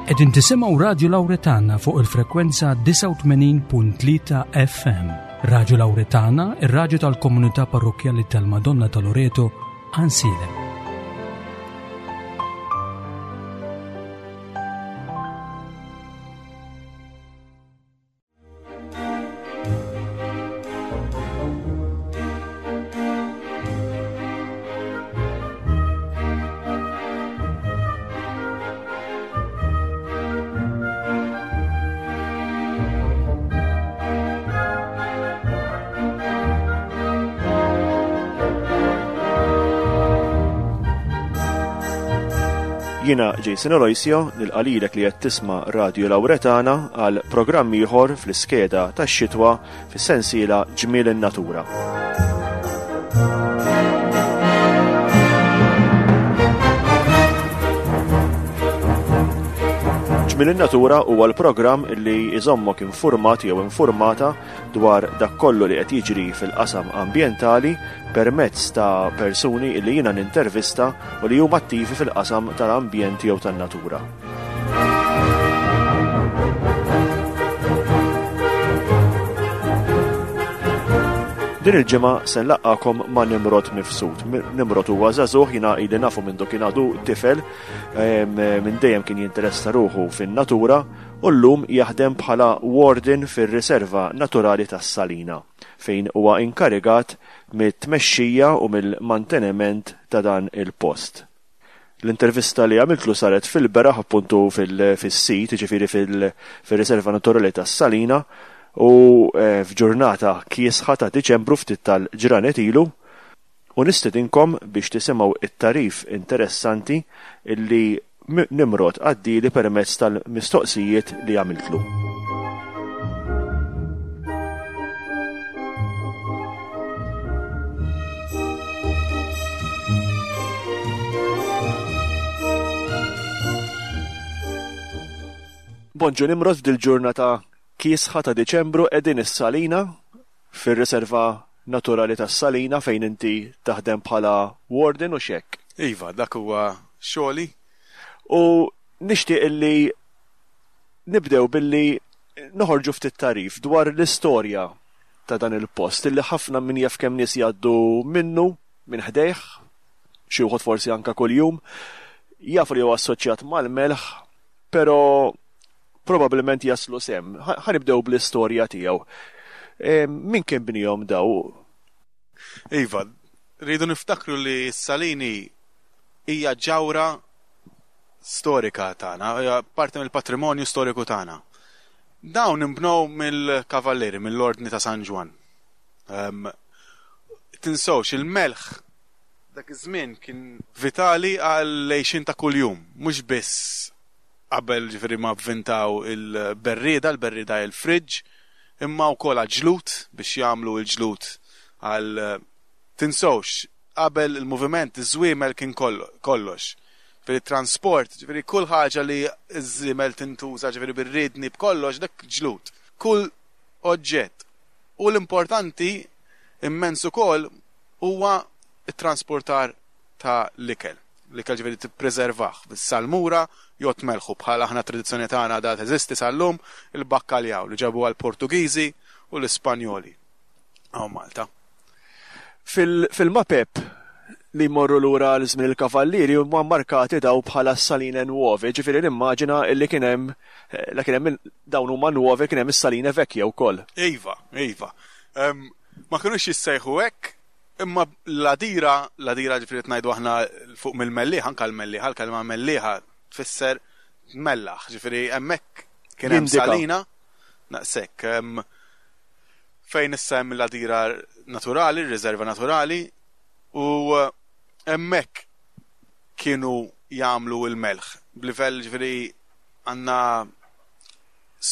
Qegħdin tisimgħu Radju Lawretana fuq il-frekwenza 89.3 FM. Radju Lawretana, ir-radju tal-komunità parrokkjali tal-Madonna ta' Loreto, Ansilem. Jiena Jason Aloisio nilqalilek li qed tisma' Radju Lawretana għal programm ieħor fl-iskeda tax-xitwa fis-sensiela Ġmiel in-Natura. Ġmiel in-Natura huwa l-programm li jżommok infurmat jew infurmata dwar dak kollu li qed jiġri fil-qasam ambjentali permezz ta' persuni li jiena nintervista u li huma attivi fil-qasam tal-ambjent jew tan-natura. Din il-ġimgħa se nlaqqakom ma' Nimrod Mifsud. Nimrod huwa żagħżugħ jiena ili nafu minn kien għadu tifel minn dejjem kien jinteressa ruħu fin-natura u llum jaħdem bħala warden fir-Riserva Naturali tas-Salina fejn huwa inkarigat mit-tmexxija u mill-manteniment ta' dan il-post. L-intervista li għamiltlu saret fil-beraħ appuntu fis-sit, jiġifieri fir-Riserva Naturali tas-Salina u eh, f'ġurnata kiesħa ta' Diċembru ftit tal-ġranet ilu u nistedinkom biex tisimgħu it-tarif interessanti illi Nimrod għaddieli permezz tal-mistoqsijiet li għamiltlu. Bonġu Nimrod f'dil-ġurnata kiesħa ta' Diċembru qegħdin is-Salina fir-riserva naturali tas-Salina fejn inti taħdem bħala warden u x'hekk. Iva, dak huwa xogħli. U nixtieq illi nibdew billi noħorġu ftit tagħrif dwar l-istorja ta' dan il-post illi ħafna min jaf kemm nies jgħaddu minnu minn ħdejh, xi wħud forsi anke kuljum, jafu li huwa assoċjat mal-melħ, però probabbilment jaslu sehem. Ħa nibdew bl-istorja tiegħu. Min kien bnihom daw? Iva, rridu niftakru li s-Salini hija ġawra storika tagħna, hija parti mill-patrimonju storiku tagħna. Dawn inbnew mill-Kavallieri, mill-Ordni ta' San Ġwann. Um, tinsewx il-melħ dak iż-żmien kien vitali għall-għejxien ta' kuljum, mhux biss qabel ġifieri ma vvintaw il-berrieda, il-berrieda hi l-fridge, imma wkoll għall-ġlud biex jagħmlu l-ġlud għal tinsewx qabel il-moviment iż-żwiemel kien kollox. Ġifieri transport, ġifieri kull ħaġa li ż-żiemel tintuża ġifieri bir-riedni b'kollox dak ġlud. Kull oġġett. U l-importanti immens ukoll huwa t-transportar ta' l-ikel. L-ikel ġifieri tippreservah bis-salmura jew tmelħu bħal aħna tradizzjoni tagħna għadha teżisti sal-lum, il-bakkaljaw li ġabuha l-Portugiżi u l-Ispanjoli hawn Malta. Fil-mapep li jmorru lura għal żmien il-Kavallieri huma mmarkati daw bħala s-Saline Nuove, ġifieri nimmaġina li kien hemm la kien hemm dawn huma Nuove kien hemm is-Saline Vecchie wkoll. Iva, iva. Ma kinux jissejħu hekk, Imma l-għadira, l-għadira ġifieri qed ngħidu aħna fuq mill-Mellieħa, anke l-Mellieħa, l-kelma Mellieħa tfisser tmellaħ, ġifieri hemmhekk kien hemm salina naqshekk. Fejn issa hemm l-għadira naturali, r-riserva naturali, u hemmhekk kienu jagħmlu l-melħ b'livell ġifieri għandna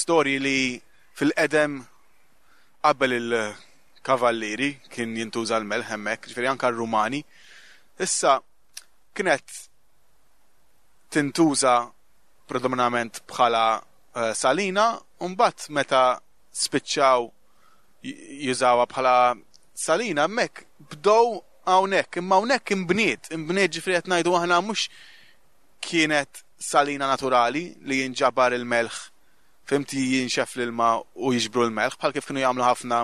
storji li fil-qedem Qabel il-kavallieri kien jintuża l-melħ hemmhekk, ġifieri anke r-Rumani. Issa kienet tintuża predominament bħala eh, salina, u mbagħad meta spiċċaw jużawha bħala salina hemmhekk bdew hawnhekk, imma hawnhekk imbniet, imbniet ġifieri qed ngħidu aħna mhux. kienet salina naturali li jinġabar il-melħ, fhimt, jinxef l-ilma u jiġbru l-melħ, bħal kif kienu jagħmlu ħafna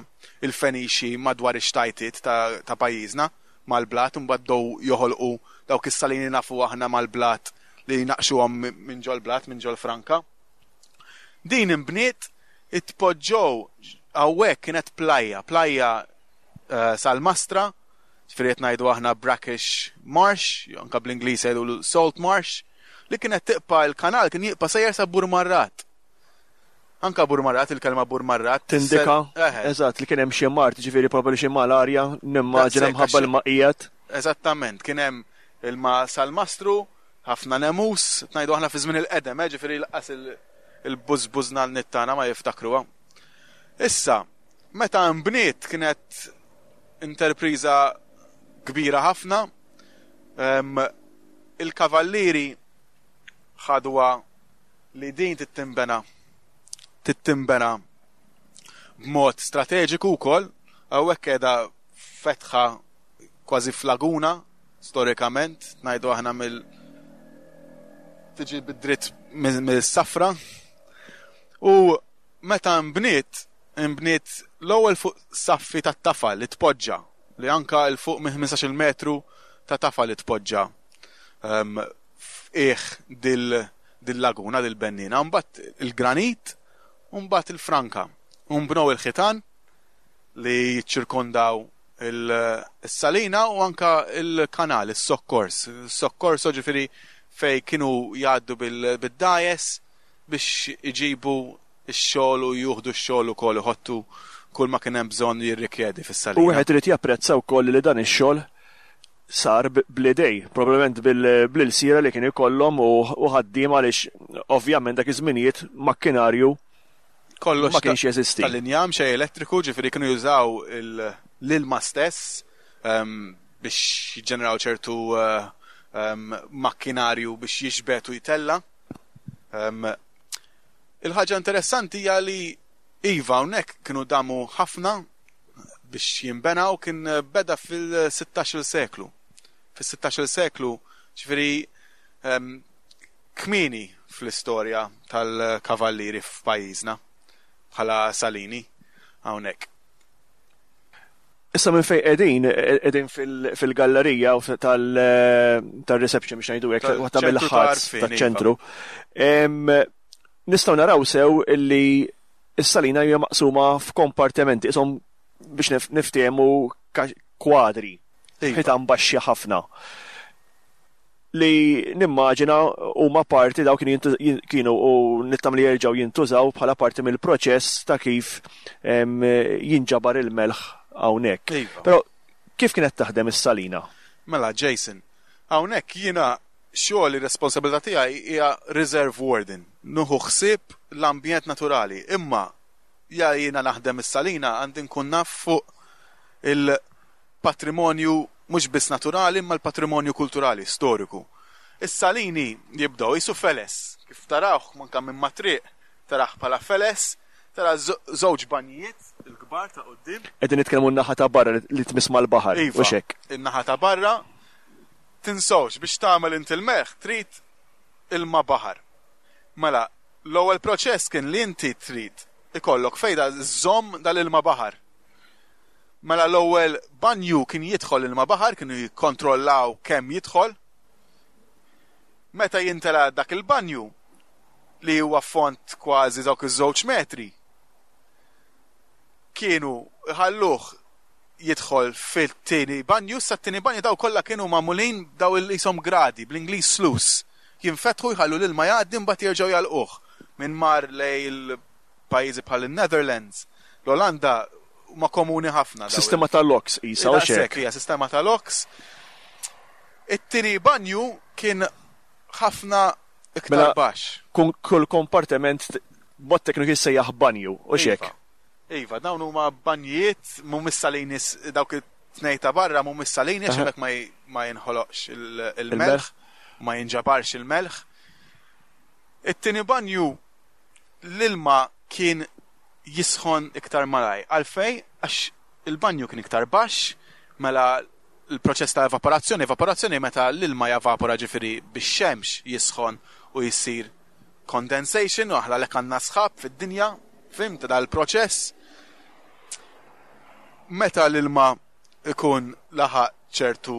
il-Fenixi madwar ix-xtajtiet ta' pajjiżna mal-blat, imbagħad bdew joħolqu dawk is-salini nafu aħna mal-blat li jnaqqxuhom minn ġol-blat, minn ġol-franka. Din inbniet, itpoġġew hawnhekk kienet plajja, plajja salmastra, ġifieri qed ngħidu aħna brackish marsh, jew anke bl-Ingliż jgħidulu salt marsh, li kienet tibqa' il-kanal kien jibqa' sejjer sa Burmarrat. Anka Burmarrat, il-kelma Burmarrat. Tindika, eżatt, li kien hemm xi mard, ġifieri probabbli xi malarja, nimmaġina mħabba l-ma qiegħed. Eżattament, kien hemm ilma salmastru, ħafna nemus, ngħidu aħna fi żmien il-qedem, ġifieri laqas il-bużbuż nannit tagħna ma jiftakruha. Issa, meta nbniet kienet interpriża kbira ħafna, il-kavallieri ħaduha li din tittinbena tittinbena b'mod strateġiku wkoll, hawnhekk qiegħda fetħa kważi f'laguna storikament, ngħidu aħna mill tiġi bid-dritt mill-safra. U meta nbniet, nbniet l-ewwel fuq saffi tat-tafal li tpoġġa, li anka 'l fuq minn 15-il metru ta' tafal li tpoġġa f'qiegħ dil-laguna, dil-bennina. Mbagħad il-granit u mbagħad il-franka. U nbnew il-ħitan li jiċċirkondaw il-salina u anka il-kanal, is-sokkors. Is-sokkorso ġifieri fejn kienu jgħaddu bid-dgħajjes biex iġibu x-xogħol u juħdu x-xogħol ukoll iħottu kull ma kien hemm bżonn jirrikjedi fis-salina. U wieħed irid japprezza wkoll li dan ix-xogħol sar bl-idej, probabbilment bl-ilsiera li kien ikollhom u ħaddiema għaliex ovvjament dak iż-żminijiet makkinarju kollox ma kienx jeżisti. Tal-injam xejn elettriku, ġifieri kienu jużaw l-ilma stess biex jiġġeneraw ċertu makkinarju biex jiġbed u jtella'. Il-ħaġa interessanti hija li iva hawnhekk kienu damu ħafna biex jinbena u kien beda fil-16-il seklu. Fis-16-il seklu, ġifieri kmieni fl-istorja tal-kavallieri f'pajjiżna bħala Salini hawnhekk. Issa minn fejn qegħdin, qegħdin fil-gallerija tal-reception biex ngħidu hekk, waħda mill-ħadd taċ-ċentru. Nistgħu naraw sew illi s-salina hija maqsuma f'kompartimenti, ishom biex niftehmu kwadri, ħitan baxxi ħafna. Li nimmaġina huma parti daw kienu u nittam li jerġgħu jintużaw bħala parti mill-proċess ta' kif jinġabar il-melħ hawnhekk. Iva. Però kif kienet taħdem is-salina? Mela Jason, hawnhekk jiena xogħol ir-responsabilità tiegħi hija reserve warden, nieħu ħsieb l-ambjent naturali, imma ja jiena naħdem is-salina għandi nkun naf fuq il-patrimonju mhux biss naturali imma l-patrimonju kulturali, storiku. Is-salini jibdew qisu feles, kif tarawh anke minn mat-triq tarah bħala feles, tara żewġ banjijiet il-kbar ta' quddiem. Qegħdin nitkellmu n-naħa ta' barra li tmiss mal-baħar, iva, hux hekk? In-naħa ta' barra. Tinsewx biex tagħmel inti l-melħ trid ilma baħar. Mela, l-ewwel proċess kien li inti trid ikollok fejda żżomm dal-ilma baħar. Mela l-ewwel banju kien jidħol ilma baħar, kienu jikkontrollaw kemm jidħol. Meta jintela dak il-banju li huwa fond kważi dawk iż-żewġ metri, kienu jħalluh jidħol fit-tieni banju, sa t-tieni banju daw kollha kienu magħmulin daw il-qishom gradi, bl-Ingliż sluice. Jinfetħu jħallu l-ilma jgħaddi mbagħad jerġgħu jagħlquh. Min mar lejn il-pajjiżi bħal in-Netherlands, l-Olanda huma komuni ħafna. Sistema ta' locks qisha u xek. Hija sistema ta' locks. It-tieni banju kien ħafna iktar Mela, baxx. Kull kompartiment b'mod tekniku jissejjaħ banju u xek. Iva. Iva, dawn huma banjijiet mhumiex salini dawk it-tnej ta' barra mhumiex salini għax hemmhekk ma jinħoloqx il-melħ, ma jinġabarx il-melħ. It-tieni banju l-ilma kien jisħon iktar malaj. Għalfej, għax il-banju kien iktar baxx, mela l-proċess ta' evaporazzjoni, evaporazzjoni meta l-ilma javapora ġifieri bix-xemx jisħon u jsir condensation u aħna għalhekk għandna sħab fid-dinja, fhimt dal-proċess. Meta l-ilma ikun laħaq ċertu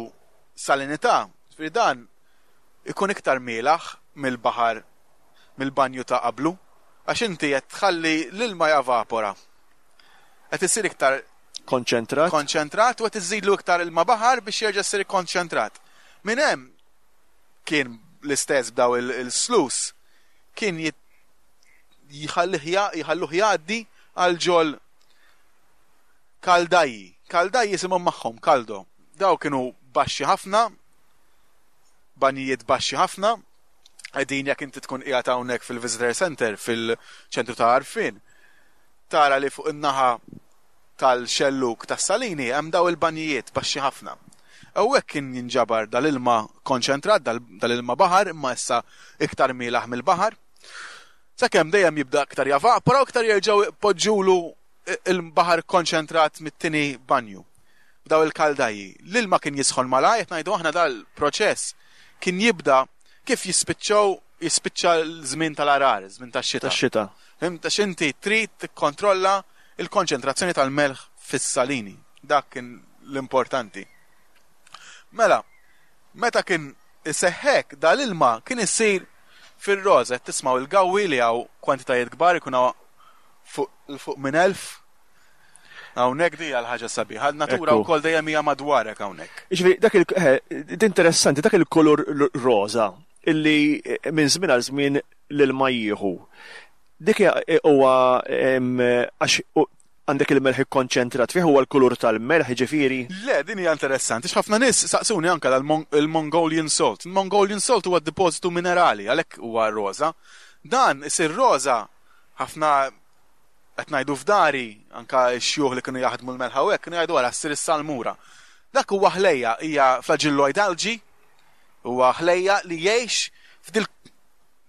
salinità, ġifieri dan ikun iktar mielaħ mill-baħar mill-banju ta' qablu għax inti qed tħalli l-ilma javapora. Qed isir iktar konċentrat. Konċentrat u qed iżidlu iktar ilma baħar biex jerġa' jsir ikkonċentrat. Minn hemm kien l-istess b'daw il-slus kien jħallih jħalluh jgħaddi għal ġol kaldajji. Kaldajji jisimhom magħhom, kaldo. Daw kienu baxxi ħafna, banjijiet baxxi ħafna, qegħdin jekk inti tkun qiegħed hawnhekk fil-Visitor Center fil-ċentru ta' għarfien, tara li fuq in-naħa tal-xellug tas-Salini hemm daw il-banjijiet baxxi ħafna. Hawnhekk kien jinġabar dal-ilma konċentrat, dal-ilma baħar, imma issa iktar mielaħ mill-baħar. Sakemm dejjem jibda iktar javapora u iktar jerġgħu jpoġġulu il-baħar konċentrat mit-tieni banju. B'daw il-kaldajji. L-ilma kien jisħon malajr, qed ngħidu aħna dal-proċess kien jibda kif jispiċċaw jispiċċa l-żmien tal-għarar, żmien tax-xita. Tax-xita. Fhimt għax inti trid tikkontrolla l-konċentrazzjoni tal-melħ fis-salini. Dak kien l-importanti. Mela, meta kien iseħħ hekk, dal-ilma kien isir fir-roża, qed tismgħu il-gawwi li hawn kwantitajiet kbar ikun hawn fuq 'l fuq minn 1000. Hawnhekk di hija l-ħaġa sabiħa, n-natura wkoll dejjem hija madwarek hawnhekk. Jiġifieri dak il eh, interessanti dak il-kulur roża illi eh, minn żmien għal żmien l-ilma jieħu. Dik eh, huwa għax għandek il-melħ ikkonċentrat fih huwa l-kulur tal-melħ ġifieri? Le, din hija interessanti. Ħafna nies saqsuni anke l-Mongolian salt. Il-Mongolian salt huwa depożitu minerali, għalhekk huwa roża. Dan isir roża ħafna qed ngħidu f'dari, anka x-xjuħ li kienu jaħdmu l-melħa u hekk kienu jgħidu ara ssir is-salmura. Dak huwa ħlejja, hija flagilloid algae, huwa ħlejja li jgħix f'dil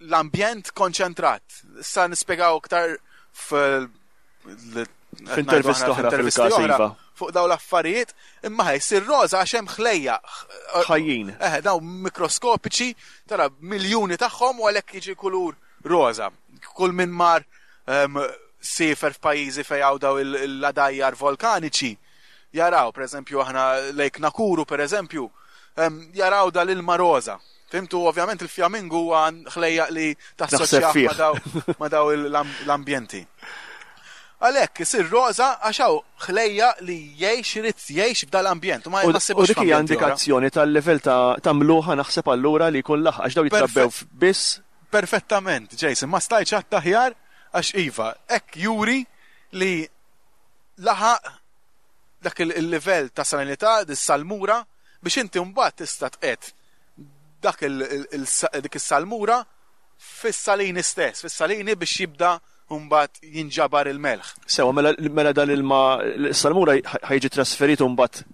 l-ambjent konċentrat. Issa nispjegaw iktar f'intervista oħra fil-każ iva. Fuq daw l-affarijiet, imma ħaj sir roża għax hemm ħlejja. Ħajjin. Eh, daw mikroskopiċi, tara miljuni tagħhom u għalhekk jiġi kulur roża. Kull min mar um, siefer f'pajjiżi fejn hawn daw l-għadajjar volkaniċi, jaraw, per eżempju, aħna Lake Nakuru, per eżempju, um, jaraw dal-ilma roża. Fimtu, ovvjament il-fjamingu huwa ħlejjaq li tassoċjah ma daw, ma daw l-ambjenti. Għalhekk isir roża għax hawn ħlejja li jgħix irid jgħix f'dal-ambjent u ma U dik hija indikazzjoni tal-livell ta' mluħa naħseb allura li jkun laħaq għax daw jitrabbew biss Perfettament, Jason, ma stajtx għedt aħjar għax iva, hekk juri li laħaq dak il-livell ta' salinità, dis-salmura, biex inti mbagħad tista' tqiegħed dak dik is-salmura fis-salini stess, fis-salini biex jibda mbagħad jinġabar il-melħ. Sewa, mela, mela dan ilma s-salmura ħa jiġi trasferit mbagħad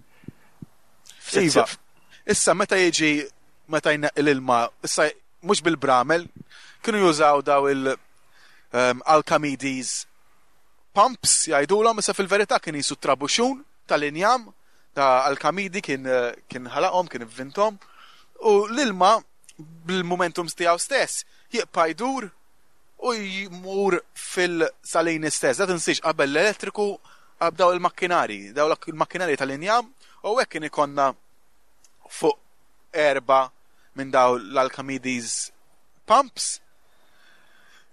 Iva, issa meta jiġi meta jneqqi l-ilma, issa mhux bil-bramel, kienu jużaw daw il um, Alchemides pumps jgħidulhom, issa fil-verità kien jisu trabuxun tal-injam ta' Alkamidi kien kien ħalaqhom, kien ivvinthom, u l-ilma bil-momentum tiegħu stess jibqa' jdur u jmur fil-salini stess. Da tinsiex qabel l-elettriku daw il-makkinari, daw il-makkinari tal-injam u hekk kien ikonna fuq erba' minn daw l-Alchemides pumps.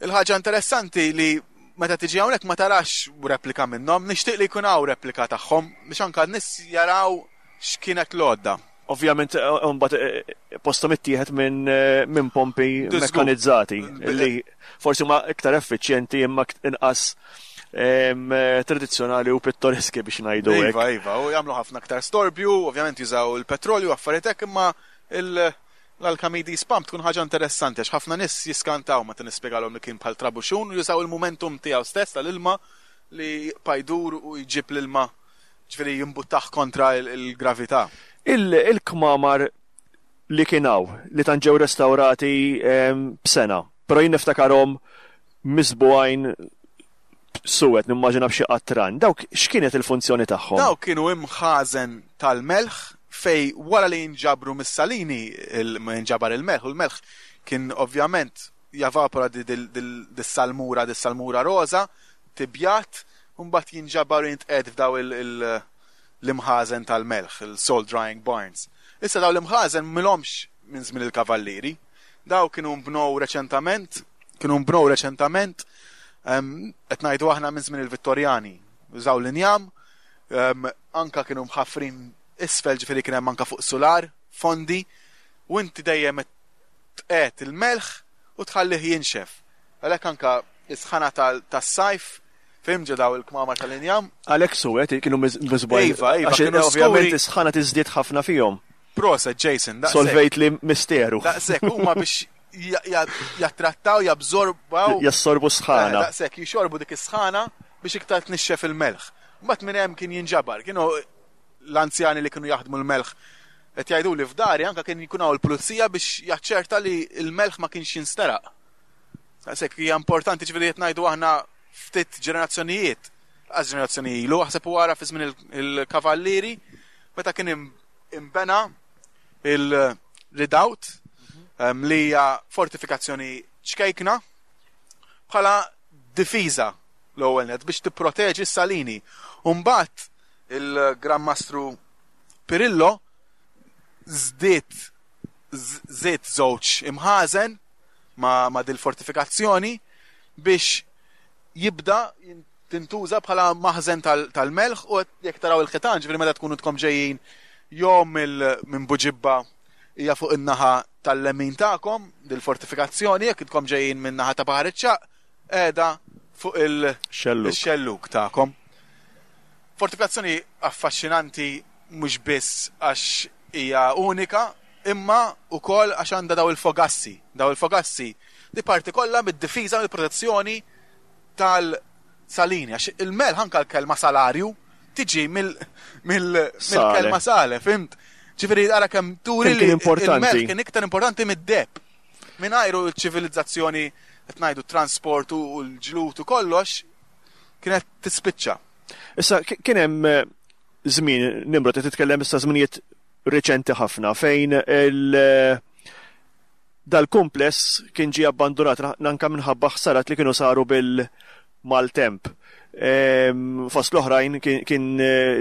Il-ħaġa interessanti li meta tiġi hawnhekk ma tarax replika minnhom, nixtieq li jkun hawn replika tagħhom biex anke n-nies jaraw x'kienet l-għodda. Ovvjament eh, mbagħad eh, posthom ittieħed minn eh, min pompi mekkanizzati li forsi huma iktar effiċjenti imma inqas tradizzjonali u pittoreski biex ngħidu hekk. Iva, iva, u jagħmlu ħafna aktar storbju, ovvjament jużaw il-petrolju affarijiet hekk imma l-Alchemides pump tkun ħaġa interessanti għax ħafna nies jiskantaw meta nispjegalhom li kien bħal trabuxun u jużaw il-momentum tiegħu stess tal-ilma li jibqa' jdur u jġib l-ilma ġifieri jimbuttah kontra l-gravità. Il-kmamar li kien hawn li tant ġew restawrati b'sena, però jien niftakarhom miżbugħin suwed nimmaġina b'xi qatran. Dawk x'kienet il-funzjoni tagħhom? Dawk kienu imħażen tal-melħ. Fej wara li jinġabru mis-salini jinġabar il-melħ, u l-melħ kien ovvjament javapora dis-salmura, dis-salmura roża, tibjat, u mbagħad jinġabar u jintqiegħed f'daw l-imħażen tal-melħ, il-salt drying barns. Issa daw l-imħażen m'ilhomx minn żmien il-kavallieri. Daw kienu nbnew reċentament, kienu nbnew reċentament, qed ngħidu aħna minn żmien il-Vittorjani. Użaw l-injam, anka kienu mħaffrin isfel ġifieri kien hemm anka fuq sular, fondi, u inti dejjem qed tqiegħed il-melħ u tħallih jinxef. Għalhekk anka is-sħana tas-sajf fim ġo daw il-kmamar tal-injam. Għalhekk suwed kienu miżbugħin. Iva, iva, Għax kienu ovvjament skuri. is-sħana tiżdied ħafna fihom. Proset, Jason, daqshekk. Solvejt li misteru. Daqshekk huma biex jattrattaw, jabżorbaw. Jassorbu s-sħana. Daqshekk jixorbu dik is-sħana biex iktar tnixxef il-melħ. Mbagħad minn hemm kien jinġabar. Kienu l-anzjani li kienu jaħdmu l-melħ qed jgħidu li f'dari anke kien jkun hawn il-pulizija biex jaċċerta li l-melħ ma kienx jinsteraq. Daqshekk hija importanti ġifieri qed ngħidu aħna ftit ġenerazzjonijiet, lanqas ġenerazzjoni ilu, aħseb u ara fi żmien il-kavallieri meta kien imbena il-redoubt li hija fortifikazzjoni ċkejkna bħala difiża l-ewwel net biex tipproteġi s-salini. U mbagħad il-Gran Mastru Pirillo żdied żied żewġ imħażen ma' dil-fortifikazzjoni biex jibda tintuża bħala maħżen tal-melħ u jekk taraw il-ħitan, ġifieri meta tkunu tkom ġejjin jew minn Buġibba hija fuq in-naħa tal-lemin tagħkom dil-fortifikazzjoni, jekk intkom ġejjin minn naħa ta' Baħar iċ-Ċagħaq qiegħda fuq il-xellug tagħkom. Fortifikazzjoni affaxxinanti mhux biss għax hija unika, imma wkoll għax għandha daw il-fogassi. Daw il-fogassi di parti kollha mid-difiża mill-protezzjoni tal-salini. Għax il-melħ anke l-kelma salarju tiġi mill-kelma sale, fimt? Ġifieri ara kemm turi li il-melħ kien iktar importanti mid-deheb. Mingħajru l-ċivilizzazzjoni qed ngħidu transport u l-ġlud u kollox kienet tispiċċa. Issa kien hemm żmien Nimrod qed titkellem issa żminijiet riċenti ħafna fejn il dal-kumpless kien ġie abbandunat anke minħabba ħsarat li kienu saru bil-maltemp. Fost l-oħrajn kien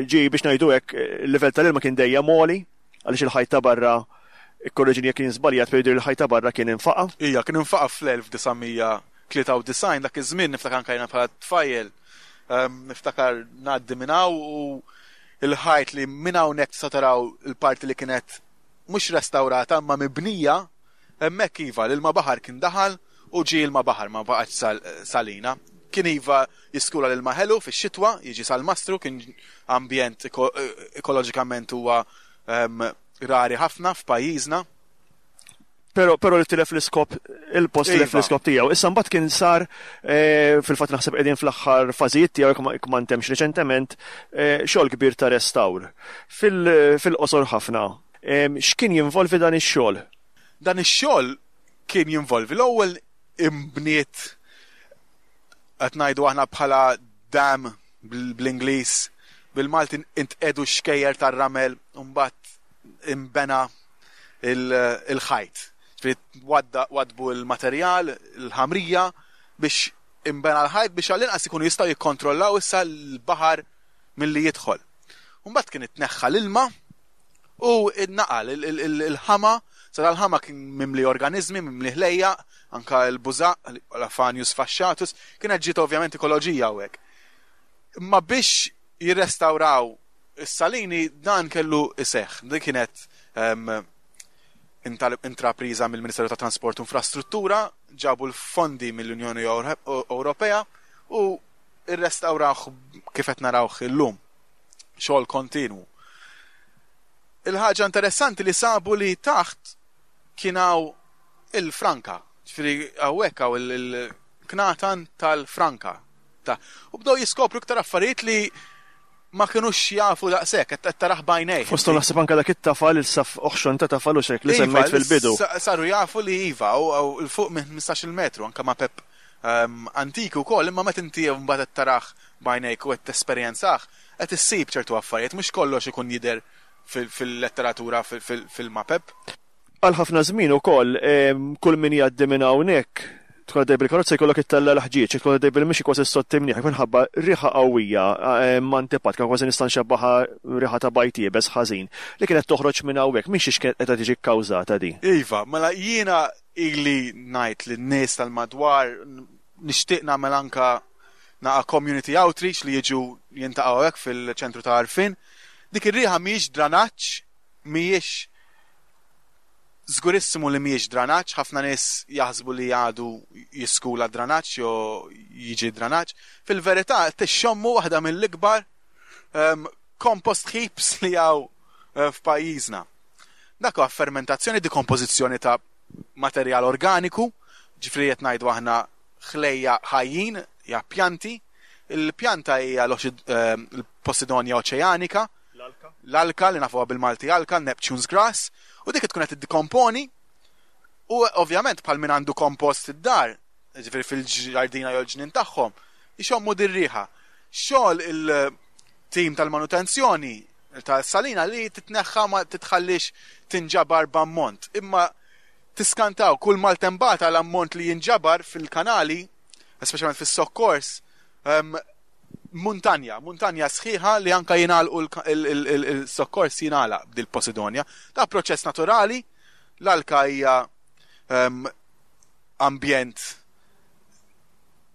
ġie biex ngħidu hekk il-livell tal-ilma kien dejjem għoli għaliex il-ħajt ta' barra ikkorreġini jekk jien żbaljat pero jidher il-ħajt ta' barra kien infaqa'. Ija, kien infaqa' fl-1993 dak iż-żmien niftakar anke jiena bħala tfajjel niftakar ngħaddi minn hawn u il-ħajt li minn hawnhekk tista' taraw il-parti li kienet mhux restawrata imma mibnija hemmhekk iva l-ilma baħar kien daħal u ġie ilma baħar ma baqgħetx salina. Kien iva jiskula l-ilma ħelu fix-xitwa, jiġi salmastru, kien ambjent ekoloġikament huwa rari ħafna f'pajjiżna. Pero, pero li tilef l-iskop, il-post tilef iva. l-iskop tiegħu. Issa mbagħad kien sar eh, fil-fatt naħseb qegħdin fl-aħħar fażijiet tiegħu jekk ma ntemx reċentement eh, xogħol kbir ta' restawr. Fil-qosor ħafna, eh, x'kien jinvolvi dan ix-xogħol? Dan ix-xogħol kien jinvolvi l-ewwel imbniet qed ngħidu aħna bħala dam bl-Ingliż, bil-Malti intqedu xkejjer tar-ramel u mbagħad imbena il-ħajt. Wadbu l-materjal, il-ħamrija biex imbena l-ħajt biex għall-inqas ikunu jistgħu jikkontrollaw issa l-baħar milli jidħol. Mbagħad kien itneħħa l-ilma u naqal il-ħama, sa dal-ħama kien mimli organizmi, mimli ħlejjaq, anka l-bużaq, l-Aphanius fasciatus, kienet ġiet ovvjament ekoloġija hawnhekk. Imma biex jirrestawraw is-salini dan kellu iseħħ. Din kienet intrapriża mill-Ministeru tat Trasport u Infrastruttura, ġabu l-fondi mill-Unjoni Ewropea u rrestawrawh kif qed narawh illum. Xogħol kontinwu. Il-ħaġa interessanti li sabu li taħt kien hawn il-franka. Ġifieri hawnhekk hawn il-knatan tal-franka. U bdew jiskopru iktar affarijiet li ma kinux jafu daqshekk, qed tarah b'għajnejh. Fosthom naħseb anke dak it-tafal, il-saff oħxon ta' tafal u x'hekk li iva, semmejt fil-bidu. Saru jafu li iva, u 'l fuq minn 15-il metru, anke mapep antiki wkoll, imma meta inti mbagħad qed tarah b'għajnejk u qed tesperjenzah, qed issib ċertu affarijiet, mhux kollox ikun jidher fil-letteratura fil-mapep. Għal ħafna żmien ukoll kull min jgħaddi minn hawnhekk tkun għaddej bil-karozza jkollok ittella' l-ħġieġ, tkun għaddej bil-mixi kważi ssott imnieħrek minħabba riħa qawwija antipatika kważi nista' nxebbaha riħa ta' bajd iebes ħażin li kienet toħroġ minn hawnhekk. Minn xiex kienet qiegħda tiġi kkawżata din? Iva, mela jiena ili ngħid lin-nies tal-madwar nixtieq nagħmel anka naqa' community outreach li jiġu jintaqgħu hekk fil-ċentru ta' għarfien. Dik ir-riħa mhijiex dranaġġ, mhijiex żgurissimu li mhijiex dranaġġ, ħafna nies jaħsbu li għadu jiskula dranaġġ jew jiġi dranaġġ. Fil-verità tixxommu waħda mill-ikbar ehm, compost heaps li hawn eh, f'pajjiżna. Dak huwa fermentazzjoni, dekompożizzjoni ta' materjal organiku, ġifri qed ngħidu aħna ħlejja ħajjin, ja pjanti. Il-pjanta hija ehm, l-Posidonia oċeanika, l-alka li nafuha bil-Malti alka, Neptune's grass, u dik tkun qed tiddikomponi u ovvjament bħal min għandu kompost id-dar, ġifieri fil-ġardina jew l-ġnien tagħhom, ixommu dir-riħa. Xogħol il-tim tal-manutenzjoni tas-salina li titneħħa ma titħallix tinġabar b'ammont. Imma tiskantaw kull maltembata l-ammont li jinġabar fil-kanali, speċjalment fis-sokkors, ehm, muntanja, muntanja sħiħa li anka jingħalqu il-sokkors jingħalaq b'dil-Posidonia. Da proċess naturali, l-alka hija ehm, ambjent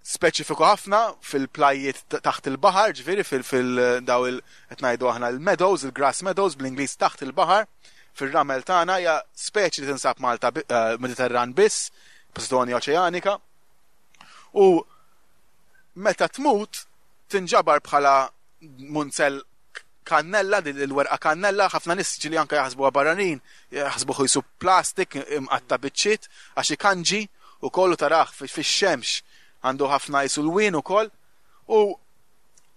speċifiku ħafna fil-plajjiet taħt il-baħar, ġifieri fil-daw il qed ngħidu aħna l-meadows, il-grass meadows bl-Ingliż taħt il-baħar, fir-ramel tagħna hija speċi li tinsab Malta eh, Mediterran biss, Posidonia oċeanika. U meta tmut tinġabar bħala munzell kannella, din il-werqa kannella, ħafna nies ġieli anke jaħsbuha barranin, jaħsbuh qisu plastik imqatta' biċċiet għax ikanġi ukoll u tarah fix-xemx għandu ħafna qisu lwien ukoll u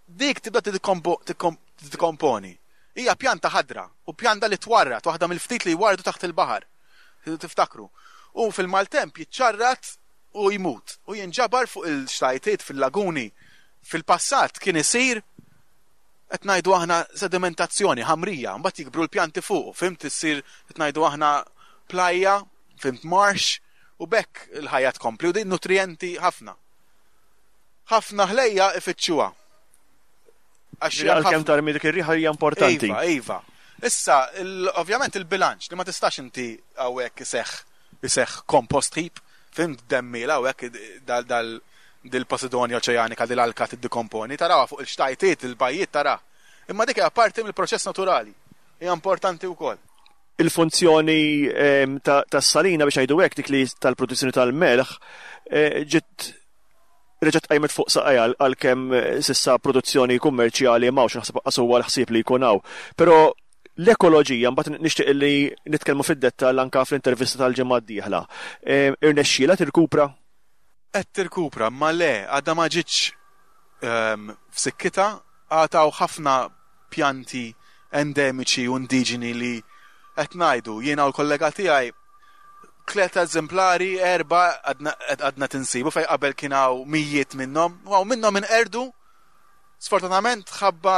dik tibda tiddekomponi. Hija pjanta ħadra u pjanta li twarrad, waħda mill-ftit li jwarrdu taħt il-baħar. Tiftakru. U fil-maltemp jiċċarrat u jmut u jinġabar fuq il-xtajtiet fil-laguni. Fil-passat kien isir qed ngħidu aħna sedimentazzjoni, ħamrija, mbagħad jikbru l-pjanti fuqu, fhimt, issir qed ngħidu aħna plajja, fhimt, marsh, u b'hekk il-ħajja tkompli u din nutrijenti ħafna. Ħafna ħlejja ifittxuha. Għax għalkemm tarmi dik ir-riħa hija importanti. Iva, iva. Issa, ovvjament il-bilanċ li ma tistax inti hawnhekk iseħħ iseħħ compost heap, fhimt, demmiela hawnhekk dal dal dil-Posidonia oċeanika, dil-alka tiddikomponi, tarawha fuq il-xtajtiet, il-bajjiet taraha. Imma dik hija parti mill-proċess naturali. Hija importanti wkoll. Il-funzjoni ehm, tas-salina biex ngħidu hekk dik li tal-produzzjoni tal-melħ eh, ġiet reġgħet qajmet fuq saqajha għalkemm eh, sissa produzzjoni kummerċjali m'hawnx naħseb qas huwa l-ħsieb li jkun hawn. Però l-ekoloġija mbagħad nixtieq li nitkellmu fid-dettall anke fl-intervista tal-ġimgħa d-dieħla. Eh, irnexxielha tirkupra? Qed tirkupra, imma le, għadha ma ġietx f'sikkitha, għad hawn ħafna pjanti endemiċi u indiġeni li qed ngħidu, jiena u l-kollega tiegħi, tleta eżemplari, erbgħa għadna qed insibu fejn qabel kien hawn mijiet minnhom, u hawn minnhom inqerdu sfortunatament ħabba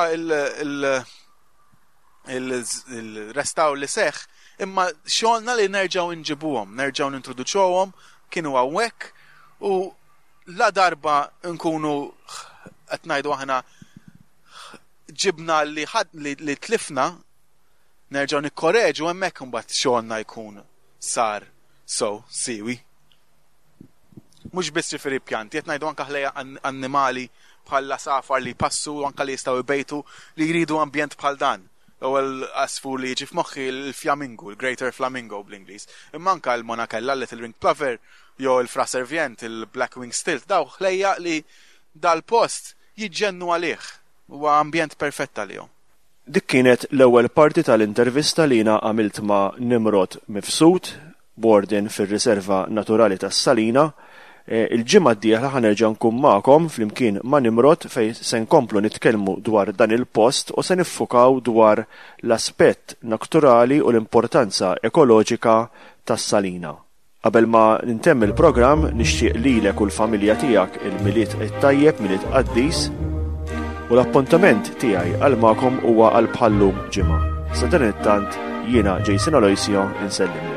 il-restawr li seħħ, imma xogħolna li nerġgħu nġibuhom, nerġgħu nintroduċuhom, kienu hawnhekk u la darba nkunu qed ngħidu aħna ġibna li ħad li tlifna nerġgħu nikkoreġu hemmhekk imbagħad xogħolna jkun sar so siwi. Mhux biss ġifieri pjanti, qed ngħidu anke ħlejja annimali bħal l-għasafar li jpassu u anke li jistgħu jbejtu li jridu ambjent bħal dan. L-ewwel għasfur li jiġi f'moħħi l-fjamingu, l-greater flamingo bl-Ingliż. Imma anke l-monachella, l-little ringed plover, jew il-fraservient, il-black winged stilt, dawn ħlejjaq li dal-post jiġġennu għalih. Huwa ambjent perfett għalihom. Dik kienet l-ewwel parti tal-intervista li jiena għamilt ma' Nimrod Mifsud, Warden fir-Riserva Naturali tas-Salina. Il-ġimgħa d-dieħla ħa nerġa' nkun magħkom flimkien ma' Nimrod fejn se nkomplu nitkellmu dwar dan il-post u se niffukaw dwar l-aspett nakturali u l-importanza ekoloġika tas-Salina. Qabel ma ntemm il-programm nixtieq lilek u l-familja tiegħek il-Milied it-tajjeb, Milied qaddis, u l-appuntament tiegħi għal magħkom huwa għal bħal-lum ġimgħa. Sadanittant jiena Jason Aloisio insellimlek.